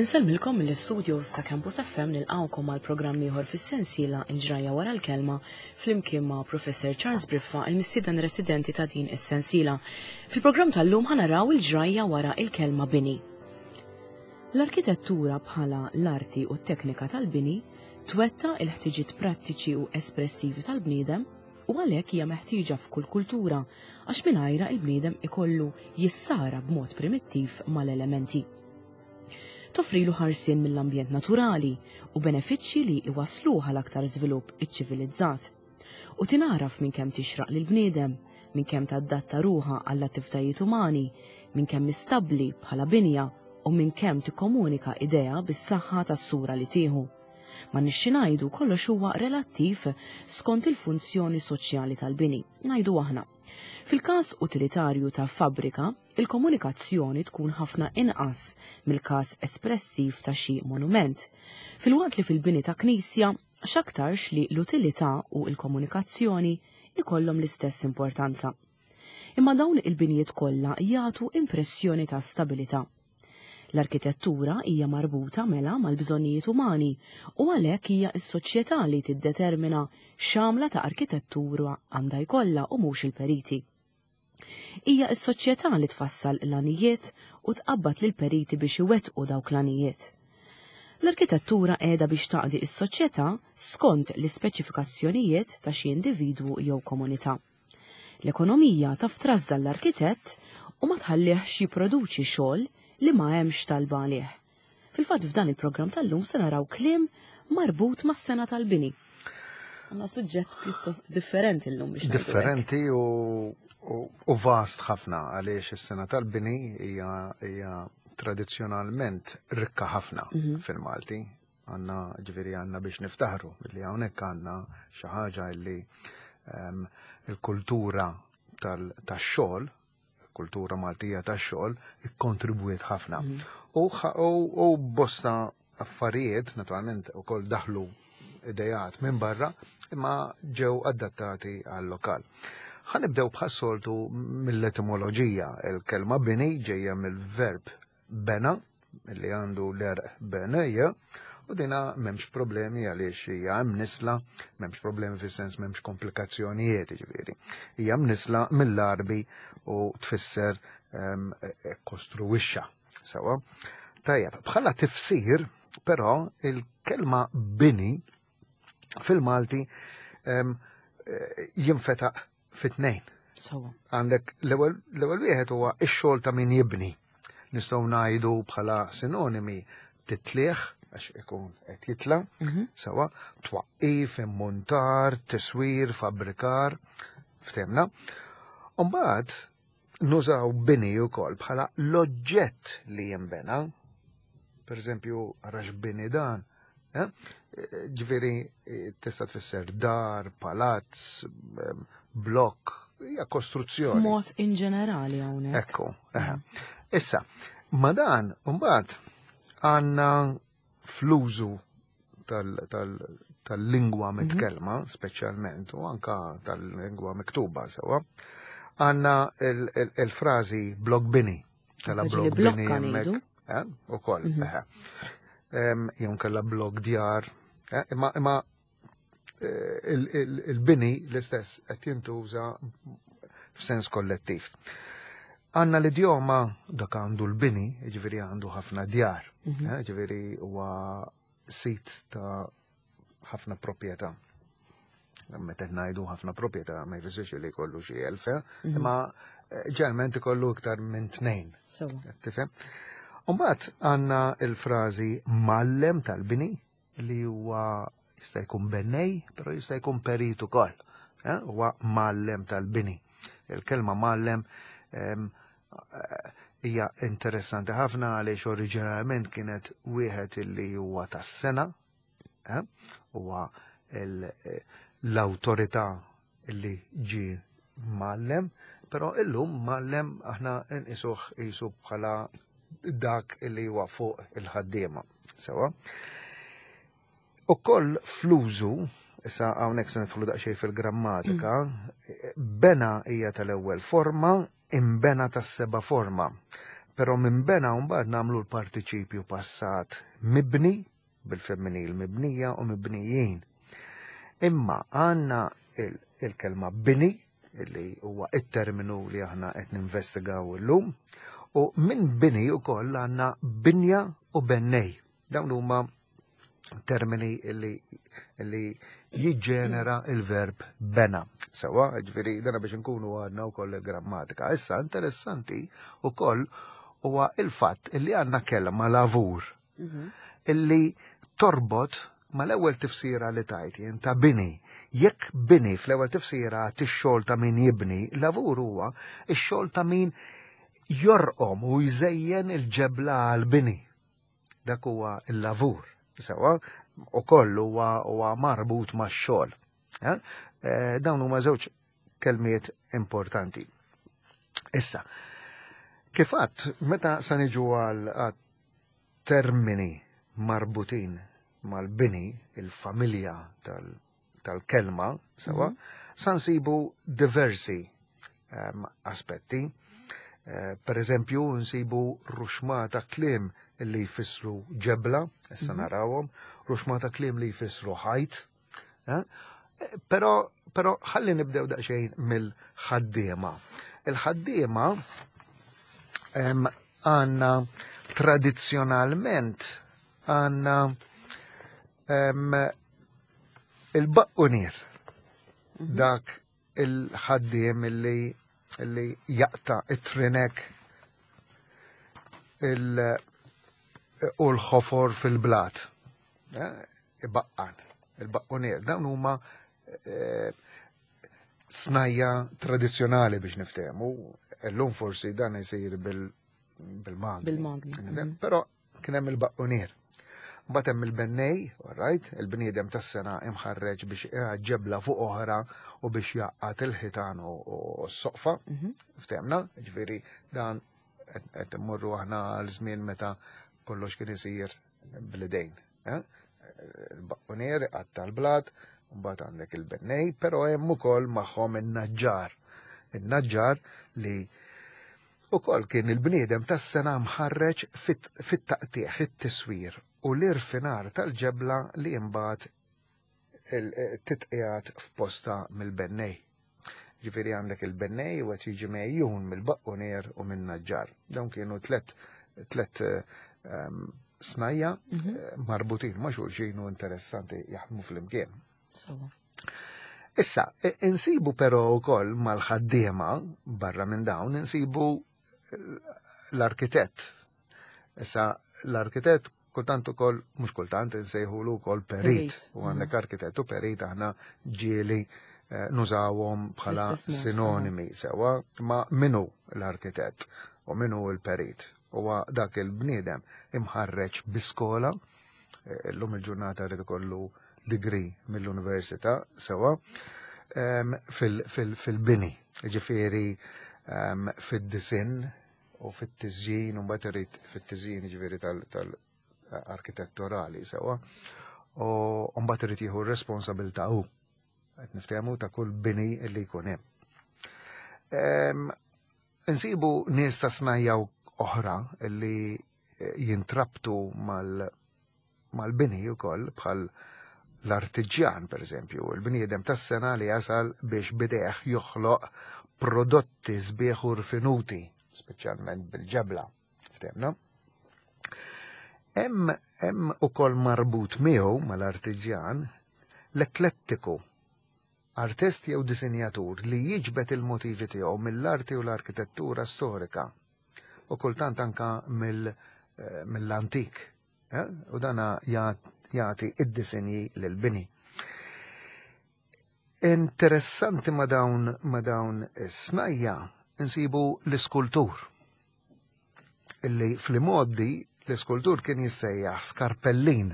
Insellmilkom mill-istudios ta' Campus FM nilqgħukom għal programm ieħor fis-sensiela Il-Ġrajja wara l-Kelma flimkien ma' Professor Charles Briffa, il-mistieden residenti ta' din is-sensiela. Fil-programm tal-lum ħa naraw il-ġrajja wara il-kelma bini. L-arkitettura bħala l-arti u t-teknika tal-bini twetta il-ħtiġiet prattiċi u espressivi tal-bniedem u għalhekk hija meħtieġa f'kull kultura għax mingħajrha il-bniedem ikollu jissara b'mod primittiv mal-elementi. Toffrilu ħarsien mill-ambjent naturali u benefiċċji li iwassluh għal aktar żvilupp iċċivilizzat. U tingħaraf minn kemm tixraq lill-bniedem, minn kemm tadatta ruħha għall-attivitajiet umani, minn kemm stabbli bħala binja u minn kemm tikkomunika idea bis-saħħa tas-sura li tieħu. Ma nixxi ngħidu kollox huwa relattiv skont il-funzjoni soċjali tal-bini, ngħidu aħna. Fil-każ utilitarju ta' fabbrika, il-komunikazzjoni tkun ħafna inqas mill-każ espressiv ta' xi monument. Filwaqt li fil-bini ta' knisja, x'aktarx li l-utilità u l-komunikazzjoni ikollhom l-istess importanza. Imma dawn il-binjiet kollha jagħtu impressjoni ta' stabilità. L-arkitettura hija marbuta mela mal-bżonnijiet umani u għalhekk hija s-soċjetà li tiddetermina x'għamla ta' arkitettura għandha jkollha u mhux il-periti. Hija s-soċjetà li tfassal l-għanijiet u tqabbad lill-periti biex iwettqu dawk l-għanijiet. L-arkitettura qiegħda biex taqdi s-soċjetà skont l-ispeċifikazzjonijiet ta' xi individwu jew komunità. L-ekonomija taf trażżan l-arkitett u ma tħallihx jipproduċi xogħol li ma hemmx talba għalih. Fil-fatt f'dan il-programm tal-lum se naraw kliem marbut mas-sena tal-bini. Għandna suġġett pjuttost differenti llum biex ngħidu hekk. Differenti u, u, u vast ħafna għaliex is-sena tal-bini hija, hija tradizzjonalment rikka ħafna mm -hmm. fil-Malti. Għanna ġifieri għanna biex niftaħru li hawnhekk għandna xi ħaġa li um, il-kultura tax-xogħol, kultura Maltija tax-xogħol, ikkontribwiet ħafna. Mm. U, u, u bosta affarijiet, naturalment, ukoll daħlu idejat minn barra, imma ġew adattati għal lokal. Ħanibdew bħas-soltu mill-etimoloġija. Il-kelma bini ġejja mill-verb bena, li għandu l-erq benejja, u dina memx problemi għaliex hija mnisla, memx problemi fis-sens memx komplikazzjonijiet ġifieri. Hija mnisla mill-Arbi u tfisser um, kostruwixxa. Sewa. Tajjeb, bħala tifsir, però il-kelma bini fil-Malti um, jinfetaq fit-tnejn. Għandek l-ewwel wieħed huwa x-xogħol ta' min jibni. Nistgħu ngħidu bħala sinonimi titlieħ għax ikun qed jitla, mhm. sewa, twaqqif, immuntar, tiswir, fabbrikar, ftemna. Umbagħad nużaw bini wkoll bħala l-oġġett li jinbena. Per eżempju, għarax bini dan, eh? Ġifieri tista' tfisser dar, palazz, blokk, hija kostruzzjoni. Mod in ġenerali hawnhekk. Ekku, eh. Issa, ma dan mbagħad għandna fl-użu tal-lingwa mhm. mitkellma, speċjalment, u anka tal-lingwa miktuba sewa, għandna il-frażi blok bini. Tala blok bini hemmhekk. Eh, ukoll, mhm. eh. Jew kella blok djar, eh, imma imma il-bini l-istess qed jintuża f'sens kollettiv. Għanna l-idjoma dak għandu l-bini, ġifieri għandu ħafna djar, mhm. ġifieri huwa sit ta' ħafna proprjetà. Meta ngħidu ħafna proprjetà ma jfissirx li jkollu xi elf, eh? mhm. imma eh, ġeneralment ikollu iktar minn tnejn. Tifhem? Umbagħad għandna il-frażi mallem tal-bini li huwa jista' jkun bennej, però jista' jkun perit ukoll. Eh? Huwa mallem tal-bini. Il-kelma mallem eh, hija interessanti ħafna għaliex oriġinarjament kienet wieħed illi huwa tas-sena, eh, huwa l-awtorità illi ġi mallem, però illum mallem aħna nqisuh qisu bħala dak illi huwa fuq il-ħaddiema. Sewa. Ukoll fl-użu, issa hawnhekk se nidħlu daqsxejn fil-grammatika, mm. bena hija tal-ewwel forma, imbena tas-seba' forma. Però minn bena mbagħad nagħmlu l-partiċipju passat mibni, bil-femminil mibnija u mibnijin. Imma għandna il-kelma bini, illi huwa it-terminu li aħna qed ninvestigaw illum, u minn bini wkoll għandna binja u bennej. Dawn huma termini illi, illi jiġġenera il-verb bena. Sewa, ġifieri dana biex nkunu għadna wkoll il-grammatika. Issa interessanti wkoll huwa il-fatt illi għandna kelma lavur illi torbot mal-ewwel tifsira li tajt jien ta' bini. Jekk bini fl-ewwel tifsira tix-xogħol ta' min jibni, lavur huwa x-xogħol ta' min jorqom u jżejjen il-ġebla għal-bini. Dak huwa il-lavur. Sewa, u kollu huwa marbut max-xogħol. Eh? Dawn huma żewġ kelmiet importanti. Issa, kif għadt, meta sa niġu għal termini marbutin mal-bini, il-familja tal-kelma, sewa, sa nsibu diversi aspetti. Per eżempju, nsibu ruxmata kliem li jfissru ġebla, issa narawhom, ruxmata kliem li jfissru ħajt, eh? Però ħalli nibdew daqsxejn mill-ħaddiema. Il-ħaddiema għandna tradizzjonalment għandna il-baqqunier, dak il-ħaddiem illi jaqta' it-trinek u l-ħofor fil-blat. Ibaqqan, il-baqqunier. Dawn huma snajja tradizzjonali biex niftehmu. Illum forsi dan isir bil-magni. Bil-magni. Però kien hemm il-baqqunier. Mbagħad hemm il-bennej, all right, il-bniedem tas-sena imħarreġ biex ġebla fuq oħra u biex jaqqat il-ħitan u s-soqfa. Ftehmna, ġifieri dan qed immorru aħna għal żmien meta kollox kien isir bl-idejn. Eh? Il-baqqunier qatta l-blat, mbagħad għandek il-bennej, però hemm ukoll magħhom in-naġġar. Il-naġġar li ukoll kien il-bniedem tas-sena mħarreġ fit-taqtiegħ, it-tiswir u l-irfinar tal-ġebla li mbagħad titqiegħed f'posta mill-bennej. Ġifieri għandek il-bennej u qed jiġi mejjun mill-baqqunier u min-naġġar. Dawn kienu tlet snajja marbutin ma' xulxin u interessanti jaħdmu flimkien. Issa, insibu però wkoll mal-ħaddiema barra minn dawn insibu l-arkitett. Issa, l-arkitett kultant ukoll, mhux kultant, insejħulu wkoll perit. U għandek arkitett u perit aħna ġieli nużawhom bħala sinonimi sewa, ma minu l-arkitett u minu l-perit. Huwa dak il-bniedem imħarreġ bi skola, illum il-ġurnata rrid ikollu degree mill-università sewa, fil-bini, ġifieri fid-disinn u fit-tiżjin, u mbagħad irid fit-tiżjin ġifieri tal-arkitetturali sewa, u mbagħad irid jieħu r-responsabilità hu. Qed niftehmu ta' kull bini li jkun hemm. Insibu nies ta' snajja oħra li jintrabtu mal-bini wkoll bħal l-artiġjan, per eżempju, il-bniedem tas-sena li jasal biex bidejh joħloq prodotti sbieħ u rfinuti, speċjalment bil-ġebla. Ftehmna? Hemm ukoll marbut miegħu mal-artiġjan l-eklettiku, artist jew disinjatur li jiġbed il-motivi tiegħu mill-arti u l-arkitettura storika u kultant anka mill-antik. U dana jagħti id-disinji lil-bini. Interessanti ma dawn is-snajja insibu l-iskultur. Illi fl-modi l-iskultur kien jissejjaħ skarpellin.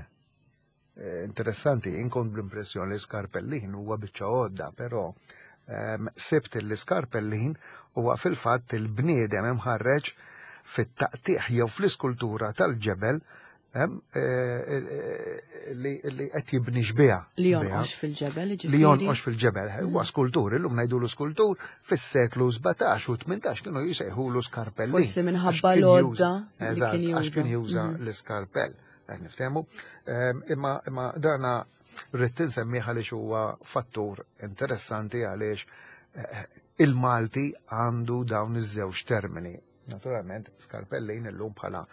Interessanti, inkun bl-impressjoni li skarpellin huwa biċċa għodda, però sibt li skarpellin huwa fil-fatt il-bniedem imħarreġ fit-taqtiħ jew fl-iskultura tal-ġebel. Hemm eh, eh, li qed jibni xbieha. Li jonqox fil-ġebel, Li jonqox fil-ġebel. Huwa mm. skultur, illum ngħidulu skultur, fis-seklu 17 u 18 kienu jisejħulu skarpellin. Forsi minħabba l-għodda. Eżatt, għax kien juża mm. l-iskarpell. Qed niftehmu. Ehm, imma imma dana rrid insemmih għaliex huwa fattur interessanti għaliex eh, il-Malti għandu dawn iż-żewġ termini. Naturalment, skarpellin illum bħala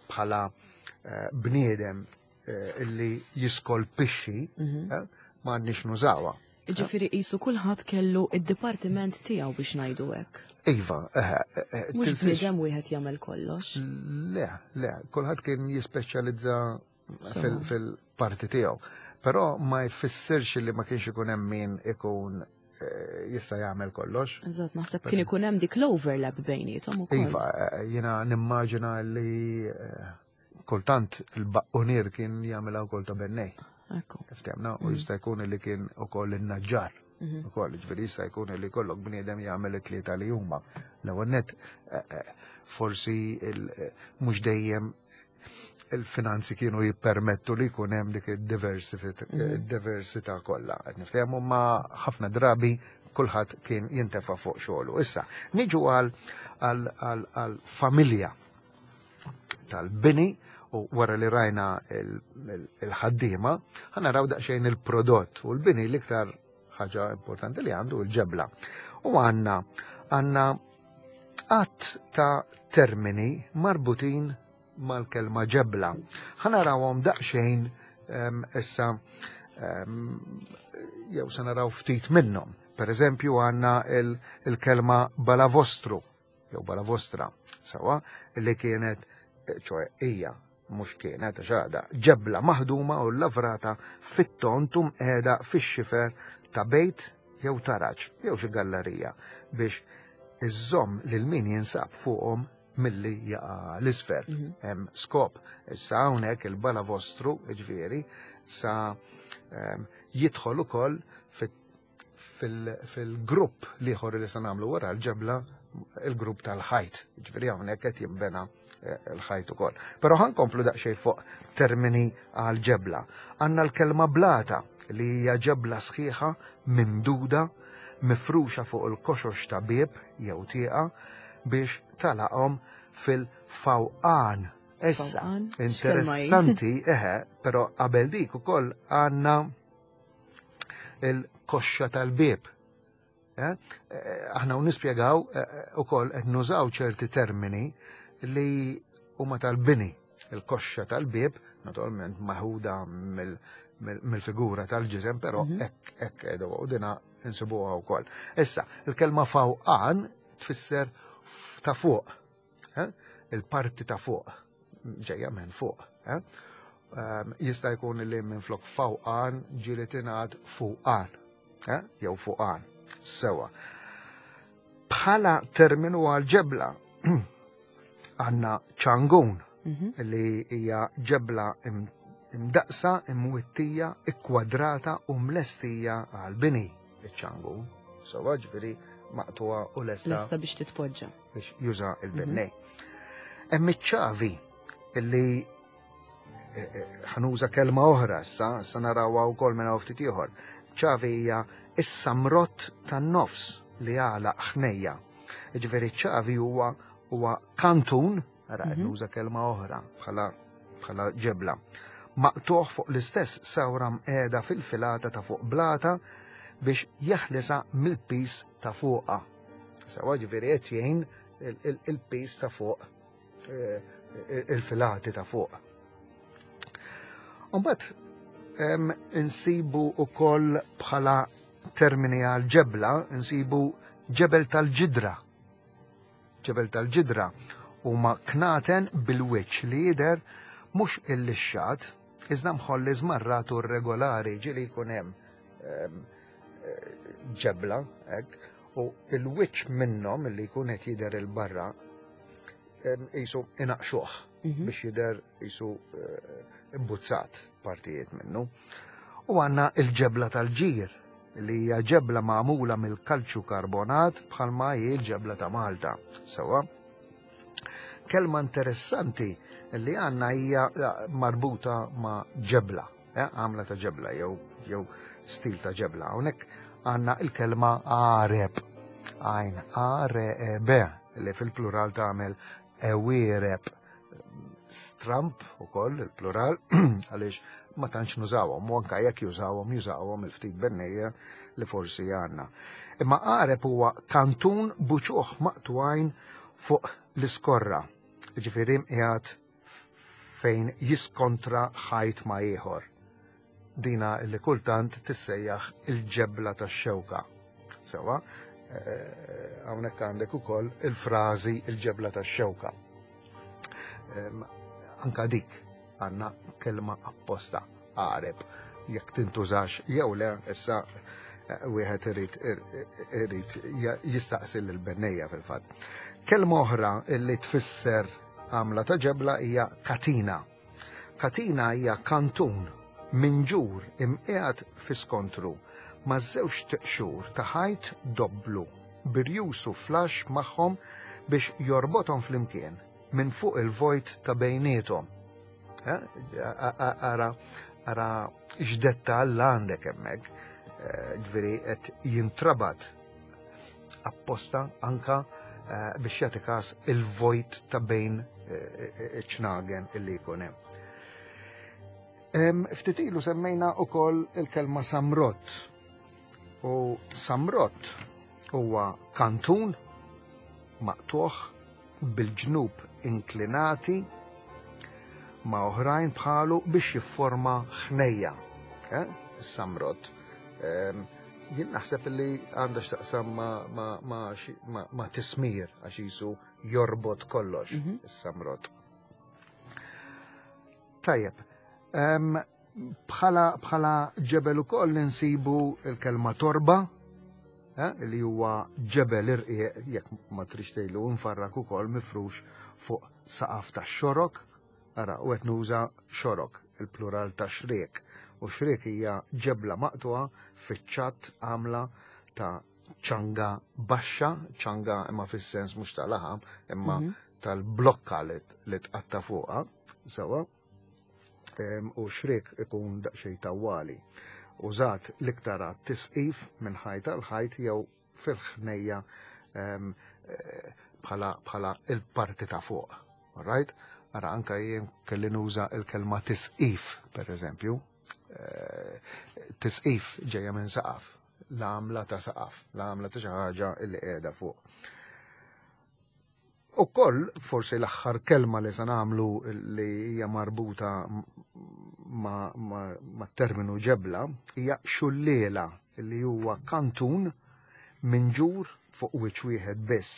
bħala eh, bniedem eh, illi jiskolpixxi mhm. eh, ma għandniex nużawha. Ġifieri qisu kulħadd kellu id-dipartiment tiegħu biex ngħidu hekk. Iva, Mhux bniedem wieħed jagħmel kollox. Le, le, kulħadd kien jispeċjalizza fil-parti tiegħu. Però ma jfissirx li ma kienx ikun hemm min ikun eh, jista' jagħmel kollox. Eżatt, naħseb kien ikun hemm dik l-overlap bejniethom ukoll. Iva, eh, jiena nimmaġina li eh, kultant il-baqqunier kien jagħmilha wkoll ta' bennej. Ekku. Ftemna, u mm. jista' jkun li kien ukoll in-naġġar. Mhm. Ukoll, ġifieri jista' jkun li kollok bniedem jagħmel it-tlieta li huma. L-ewwel net forsi mhux dejjem il-finanzi kienu jippermettu li jkun hemm dik id-diversità mhm. kollha. Qed niftehmu ma ħafna drabi kulħadd kien jintefa' fuq xogħlu. Issa, niġu għal familja tal-bini u wara li rajna il-ħaddiema, ħanaraw daqsxejn il-prodott u l-bini l-iktar ħaġa importanti li għandu l-ġebla. U għanna għanna għadd ta' termini marbutin mal-kelma ġebla. Ħanarawhom daqsxejn ehm, issa ehm, jew se naraw ftit minnhom. Per eżempju għandna il-kelma balavostru jew balavostra, sawa, li kienet ċoe hija mhux kienet għax għadha, ġebla maħduma u lavrata fit-tond u mqiegħda fix-xifer ta' bejt jew taraġ jew xi gallarija biex iżżomm lil min jinsab fuqhom milli jaqa' l-isfel. Mhm. Hemm skop. Issa hawnhekk il-balavostru, ġifieri, sa ehm, jidħol ukoll fil-grupp liħor li se nagħmlu wara l-ġebla il-grupp tal-ħajt. Ġifieri hawnhekk qed jinbena eh, l-ħajt ukoll. Però ħankomplu daqsxejn fuq termini għal ġebla. Għandna l-kelma blata li hija ġebla sħiħa mimduda mifruxa fuq il-koxox ta' bieb jew tieqa biex talaqhom fil-fawqan. Issa, interessanti, eħe, però qabel dik ukoll għandna il-koxxa tal-bieb. Eh? Eh, aħna u nispjegaw eh, ukoll qed nużaw ċerti termini li huma tal-bini. Il-koxxa tal-bieb, naturalment maħuda mill-figura tal-ġisem, però mhm. hekk hekk qegħdu u dina insibuha wkoll. Issa, il-kelma fawqan tfisser ta' fuq. Eh? Il-parti ta' fuq, ġejja minn fuq. Eh? Ehm, jista' jkun li minn flok fawqan ġieli tingħad fuqan, eh? jew fuqan. Sewa. Bħala terminu għal ġebla għandna ċangun mhm. li hija ġebla imdaqsa, imwittija, ikkwadrata u mlestija għal bini iċ-ċangun. Sewa ġifieri maqtuha u lesta. Lesta biex titpoġġa. Biex juża il-bennej. Mhm. Hemm iċ-ċavi illi eh, eh, ħanuża kelma oħra issa, issa narawha wkoll minn hawn ftit ieħor. Ċavi hija is-samrott tan-nofs li għalaq ħnejja. Ġifieri ċavi huwa huwa kantun, ara mhm. nuża kelma oħra bħala bħala ġebla. Maqtuħ fuq l-istess sawra mqiegħda fil-filata ta' fuq blata biex jeħlisa mill-pis ta' fuqha. Sewa ġifieri qed jgħin il-pis ta' fuq eh, il-filati ta' fuq. Umbat, insibu u koll bħala termini għal ġebla, insibu ġebel tal-ġidra. Ġebel tal-ġidra huma knaten bil-wiċċ li jidher mhux illixxat, iżda mħolli żmarrat u regolari ġieli jkun hemm ġebla hekk u il-wiċċ minnhom li jkun qed jidher il-barra qisu inaqxuh mhm. biex jidher qisu eh, imbuzzat partijiet minnu. U għandna il-ġebla tal-ġir li hija ġebla magħmula mill-kalċju karbonat bħalma hi l-ġebla ta' Malta. Sewa. Kelma interessanti li għandna hija marbuta ma' ġebla, għamla ta' ġebla jew stil ta' ġebla. Hawnhekk għandna il-kelma għareb, għajn A-R-E-B, li fil-plural tagħmel ewiereb. Stramp ukoll il-plural għaliex ma tantx nużawhom, u anke jekk jużawhom jużawhom il-ftit bennejja li forsi għandna. Imma għareb huwa kantun buċuħ maqtwajn fuq l-iskorra, ġifieri qiegħed fejn jiskontra ħajt ma' ieħor. Dina li kultant tissejjaħ il-ġebla tax-xewka. Sewa, hawnhekk għandek ukoll il-frażi il-ġebla tax-xewka. Anka dik għandna kelma apposta għareb, jekk tintużax jew le, issa wieħed irid jistaqsi lill-bennejja fil-fatt. Kelma oħra li tfisser għamla ta' ġebla hija katina. Katina hija kantun minġur imqiegħed fi skontru ma' żewġ tiqxur ta' ħajt dobblu birjusu flax magħhom biex jorbothom flimkien minn fuq il-vojt ta' bejniethom. Ara, ara x'dettall għandek hemmhekk. Ġifieri qed jintrabat apposta anka biex jagħti każ il-vojt ta' bejn ċnagen illi jkun hemm. Ftit ilu semmejna wkoll il-kelma samrott. U samrott huwa kantun maqtuħ bil-ġnub inklinati ma' oħrajn bħalu biex jifforma ħnejja. Is-samrott. Jien naħseb li għandha x'taqsam ma' tismir għax jisu jorbot kollox is-samrott. Tajjeb, bħala ġebel ukoll insibu l-kelma torba, li huwa ġebel irqiq jekk ma trix tgħidlu nfarrak ukoll mifrux fuq saqaf tax-xorok. Ara, u qed nuża xorok, il-plural ta' xriek. U xriek hija ġebla maqtuha fiċ-ċatt għamla ta' ċanga baxxa, ċanga imma fis-sens mhux ta' laħam, imma tal-blokka li tqatta' fuqha, sewa. U xriek ikun daqsxejn tawwali. Użat l-iktar għat-tisqif minn ħajt għal ħajt jew fil-ħnejja bħala il-parti ta' fuq. All right? Ara, anka jien kelli nuża il-kelma tisqif, per eżempju. Tisqif ġejja minn saqaf, l-għamla ta' saqaf, l-għamla ta' xi ħaġa li qiegħda fuq. Ukoll, forsi l-aħħar kelma li se nagħmlu li hija marbuta ma' terminu ġebla hija xulliela, li huwa kantun minġur fuq wiċċ wieħed biss.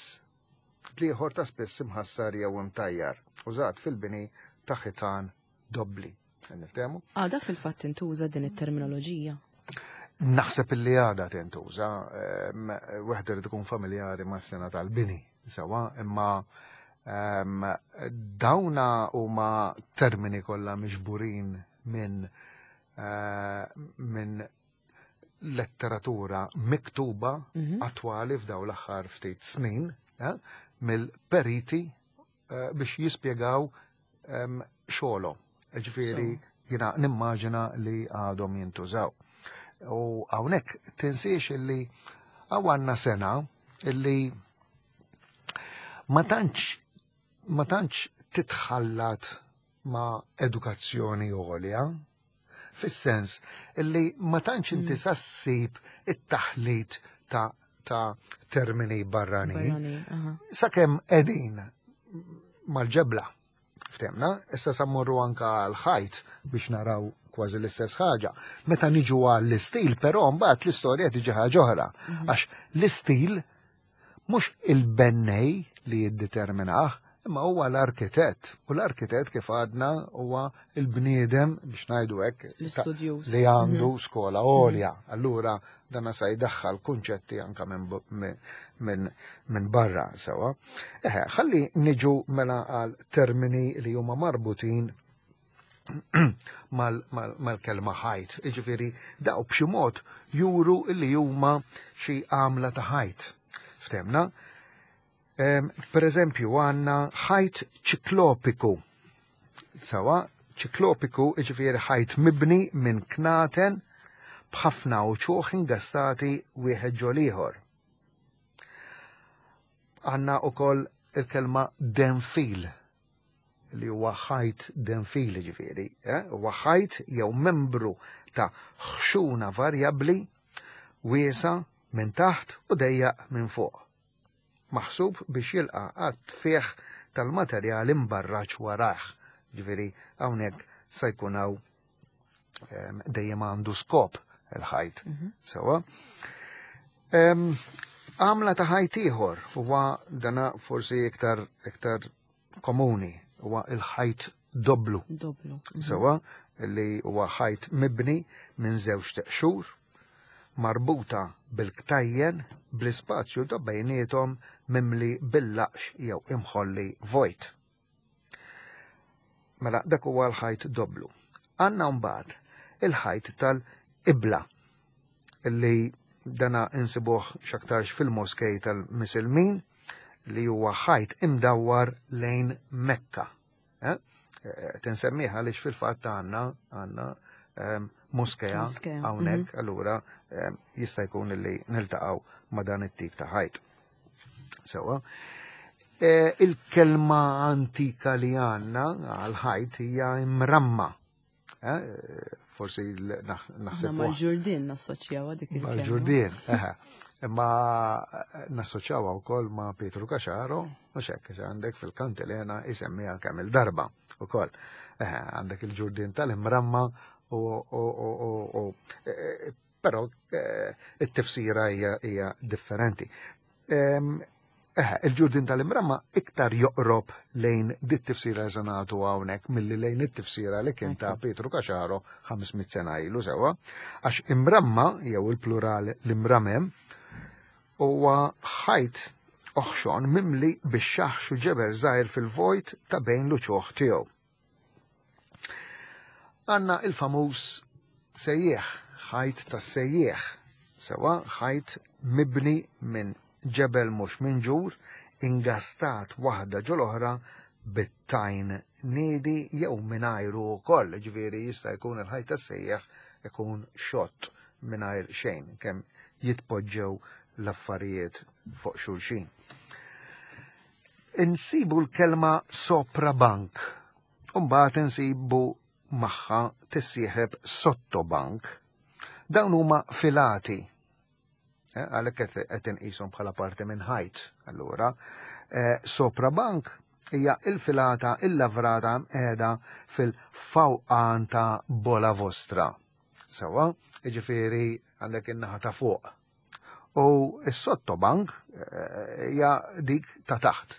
L-ieħor ta' spiss imħassar jew imtajjar, użat fil-bini ta' ħitan dobbli. Niftehmu? Għada fil-fatt tintuża din it-terminoloġija? Naħseb illi għada tintuża, wieħed irid ikun familjari mas-sena tal-bini, sewa, imma dawna huma termini kollha miġburin minn letteratura miktuba attwali f'daw l-aħħar ftit snin, mill-periti biex jispjegaw xogħolhom. Ġifieri jiena nimmaġina li għadhom jintużaw. U hawnhekk tinsiex illi għandna sena illi ma tantx titħallat ma' edukazzjoni għolja, fis-sens illi ma tantx inti sassib it-taħlit ta' termini barranin. Barrani, aha. Sakemm qegħdin mal-ġebla, ftemna, issa sa mmorru anka għal-ħajt biex naraw kważi l-istess ħaġa. Meta niġu għall-istil, però mbagħad l-istorja tiġi ħaġa oħra. Għax l-istil mhux il-bennej li jiddeterminah, imma huwa l-arkitett. U l-arkitett kif għadna huwa il-bniedem, biex ngħidu hekk, L-istudjuż. li għandu skola għolja. Allura dan sa jdaħħal kunċetti anka minn barra sewa. Eħe, ħalli niġu mela għal termini li huma marbutin mal-kelma ħajt. Jiġifieri daw b'xi mod juru li huma xi għamla ta' ħajt. Ftemna? Per eżempju, għandna ħajt ċiklopiku. Sewa, ċiklopiku jiġifieri ħajt mibni minn knaten b'ħafna uċuħ ingastati wieħed ġol ieħor. Għandna ukoll il-kelma denfil li huwa ħajt denfil ġifieri, eh? huwa ħajt jew membru ta' ħxuna varjabbli wiesa minn taħt u dejjaq minn fuq. Maħsub biex jilqa' għat-tfigħ tal-materjal imbarraġ warajh. Ġifieri hawnhekk se jkun hawn ehm, dejjem għandu skop il-ħajt. Mhm. Sewa. Ehm, għamla ta' ħajt ieħor huwa dana forsi iktar iktar komuni huwa il-ħajt doblu. Doblu. Mhm. Sewa li huwa ħajt mibni minn żewġ teqxur marbuta bil-ktajjen bl-ispazju ta' bejniethom mimli bil-laqx jew imħolli vojt. Mela dak huwa l-ħajt doblu. Għandna mbagħad il-ħajt tal-ibla li dana insibuh x'aktarx fil-moskej tal-Misilmin li huwa ħajt imdawwar lejn Mekka. Eh? eh Tinsemmiha għaliex fil-fatt għandna għandna ehm, moskea hawnhekk, mhm. allura ehm, jista' jkun li niltaqgħu ma' dan it-tip ta' ħajt. Sewa. Eh, il-kelma antika li għandna għal ħajt hija imramma. Eh, forsi naħseb. Mal-ġurdien nassoċjawha dik il-kelma. Mal-ġurdien, eħe. Imma eh, nassoċjawha wkoll ma' Pietru Caxaro, mhux hekk għandek fil-kantilena isemmiha kemm il-darba ukoll. Eħe, għandek il-ġurdien tal-imramma u eh, però it-tifsira hija differenti. Ehm, Eħe, il-ġurdin tal-imramma iktar joqrob lejn dit tifsira li se nagħtu hawnhekk milli lejn it-tifsira li kien ta' Pietru Caxaro 500 sena ilu sewa, għax imramma jew il-plural l-imramem huwa ħajt oħxon mimli bix-xaħx u ġebel żgħir fil-vojt ta' bejn l-uċuħ tiegħu. Għanna il-famuż sejjieħ, ħajt tas-sejjieħ, sewa ħajt mibni minn ġebel mhux minġur, ingastat waħda ġol-oħra bit-tajn niedi jew mingħajru wkoll, ġifieri jista' jkun il-ħajt tas-sejjieħ ikun xott mingħajr xejn kemm jitpoġġew l-affarijiet fuq xulxin. Insibu l-kelma soprabank, u mbagħad insibu magħha tissieħeb sottobank. Dawn huma filati. Eh, għalhekk qed inqishom bħala parti minn ħajt. Allura, eh, soprabank hija il-filata il-lavrata qiegħda fil-fawqan ta' bola vostra. Sewa, jiġifieri għandek in-naħa ta' fuq U s-sottobank eh, hija dik ta' taħt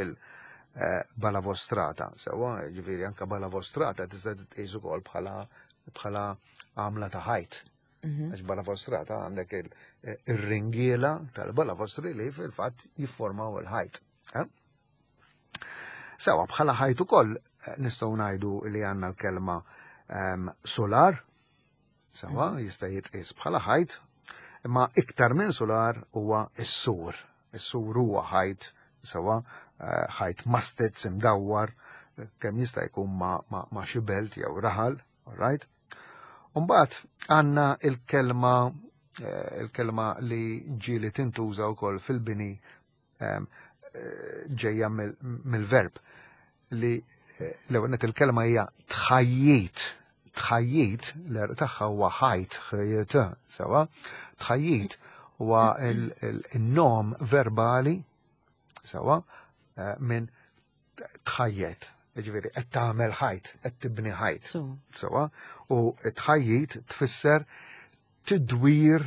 il-balavostrata. Eh, Sewa, ġifieri anka balavostrata tista' titqis ukoll bħala bħala għamla ta' ħajt. Mhm. Għax balavostrata għandek eh, il-ringiela tal-balavostri li fil-fatt jifformaw il-ħajt. Sewa, bħala ħajt ukoll nistgħu ngħidu li għandna l-kelma ehm, solar, Sewa, mm. jista' jitqies bħala ħajt, imma iktar minn solar huwa s-sur. Is-sur huwa ħajt, sewa, eh, ħajt mastez imdawwar, kemm jista' jkun ma, ma, ma xi belt jew raħal, all right? Umbagħad għandna il-kelma eh, il-kelma li ġieli tintuża wkoll fil-bini eh, ġejja mill-verb li eh, l-ewwel il-kelma hija tħajjit. Tħajjit, l-erq tagħha huwa ħajt, ħajt, sewa. Tħajjit huwa il-nom verbali, sewa, eh, minn tħajjet. Ġifieri qed tagħmel ħajt, qed tibni ħajt. Sewa, u tħajjit tfisser tidwir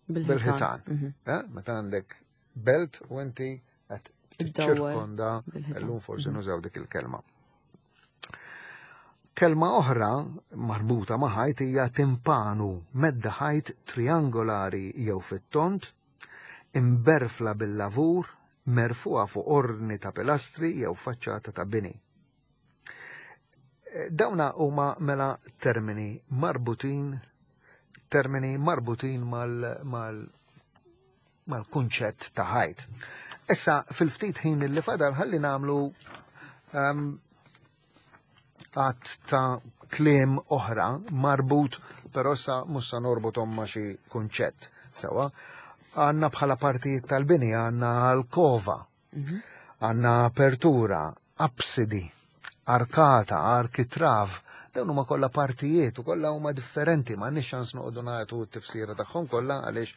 bil-ħitan. Mhm. Eh, meta għandek belt u inti qed ċirkonda llum forsi mhm. nużaw dik il-kelma. Kelma oħra marbuta ma' ħajt hija timpanu, medda ħajt triangolari jew fit-tont, imberfla bil-lavur, merfuha fuq ordni ta' pilastri jew faċċata ta' bini. Eh, dawna huma mela termini marbutin termini marbutin mal-kunċett ta' ħajt. Issa fil-ftit ħin li fadal ħalli nagħmlu um, għadd ta' kliem oħra marbut, però sa mhux sa norbothom ma' xi kunċett. Sewwa, għandna bħala partijiet tal-bini għandna alkova, għandna apertura, absidi, arkata, arkitrav, dawn huma kollha partijiet u kollha huma differenti, ma għandniex ċans noqogħdu nagħtu t-tifsira tagħhom kollha għaliex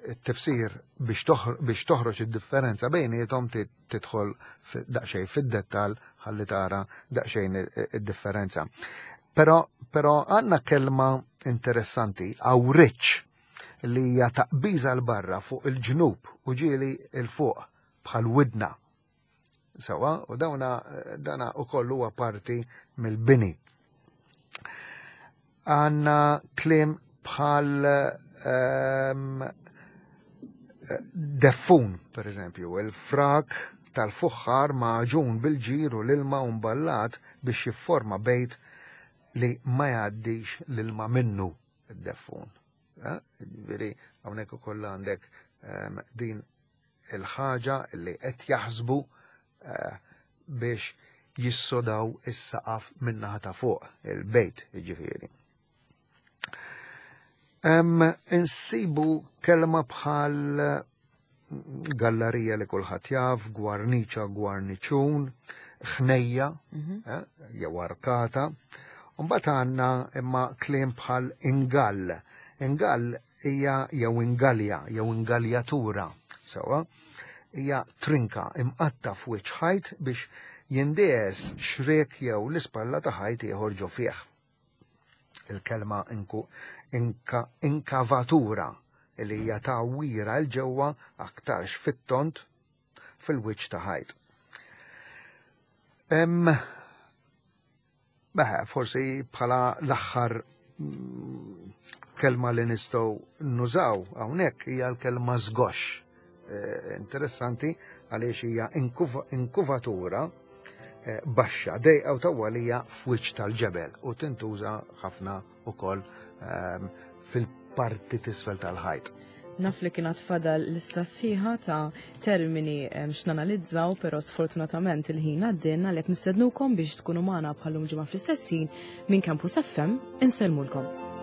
it-tifsir biex toħroġ id-differenza bejniethom tidħol daqsxejn fid-dettall ħalli tara daqsxejn id-differenza. Però għandna kelma interessanti, awriċ, li hija taqbiża 'l barra fuq il-ġnub u ġieli 'l fuq bħal widna. Sewwa, u dawna dana ukoll huwa parti mill-bini. Għandna kliem bħal deffun, per eżempju, il-frak tal-fuħħar magħġun bil-ġir u l-ilma u mballat biex jifforma bejt li ma jgħaddix l-ilma minnu id-deffun. Eh? Ġifieri hawnhekk ukoll għandek din il-ħaġa li qed jaħsbu eh, biex jissodaw is-saqaf min-naħa ta' fuq il-bejt, jiġifieri. Insibu kelma bħal gallerija li kulħadd jaf, gwarniċa, gwarniċun, ħnejja, jew arkata. Mbagħad għandna imma kliem bħal ingall. Ingall hija jew ingalja jew ingaljatura, sewwa, hija trinka imqatta' f'wiċċ ħajt biex jindies xriek jew l-ispalla ta' ħajt ieħor ġo fih. Il-kelma inkavatura li hija tgħawwira 'l ġewwa aktarx fit-tond fil-wiċċ ta' ħajt. Hemm Beħe, forsi bħala l-aħħar kelma li nistgħu nużaw hawnhekk hija l-kelma żgoxx. Eh, interessanti għaliex hija inkuvatura eh, baxxa dejqa u tawwalija f'wiċċ tal-ġebel u tintuża ħafna ukoll ehm, fil-parti tisfel tal-ħajt. Naf li kien fadal lista sħiħa ta' termini x'nanalizzaw, però sfortunatament il-ħin għaddien għalhekk nistednukom biex tkunu magħna bħallum ġimgħa fl-istess ħin minn Campus FM insellmulkom.